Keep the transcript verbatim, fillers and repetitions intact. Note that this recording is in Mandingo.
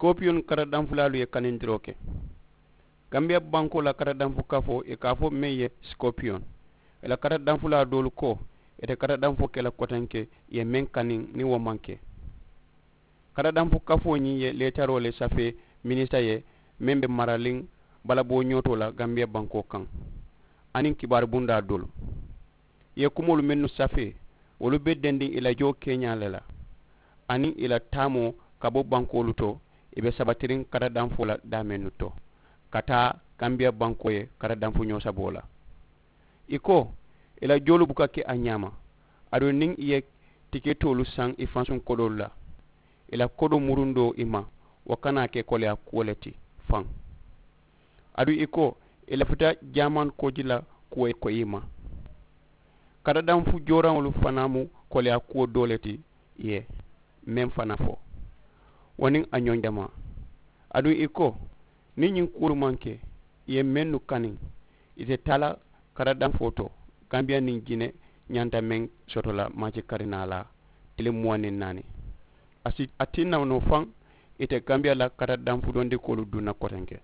Sikopiyoŋ karadanfulaalu ye kanindiroo ke. Gambiya bankoo la karadanfu kafoo ì ka a fo meŋ ye sikopiyoŋ, ì la karadanfulaa doolu ko ì te karadanfoo ke la kotenke ì ye meŋ kaniŋ niŋ wo maŋ ke. Karadanfu kafoo ñiŋ ye leetaroo le safee minisita ye meŋ be maraliŋ balaboo ñootoo la gambiya bankoo kaŋ, aniŋ kibaari bundaa doolu. Ì ye kumoolu mennu safee wolu be dendiŋ ì la joo keeñaa le la, aniŋ ì la taamoo ka bo bankoolu to ì be sabatiriŋ karadanfoo la daameenu to ka taa gambiya bankoo ye karadanfuñoo saboo la. Ì ko ì la joolu buka ke a ñaama, aduŋ niŋ ì ye tiketoolu saŋ ì fansuŋ kodoolu la, ì la kodoo murundoo ì ma wo kana ke koleyaa kuwo le ti. Faŋ aduŋ ì ko ì lafita jaaman kooji la kuwo ye koyi ì ma. Karadanfu jooraŋolu fanaa mu koleyaa kuwo doo le ti ì ye meŋ fanaa fo wo niŋ a ñoŋ jamaa. Aduŋ ì ko niŋ ñiŋ kuwolu maŋ ke ì ye mennu kaniŋ ì te taa la karadanfoo to. Gambiya niŋ jine ñanta meŋ soto la maaci karinaa la tiliŋ muwaŋ niŋ naani. A si a tinna noo faŋ ì te gambiya la karadanfu dondikoolu duŋ na kotenke.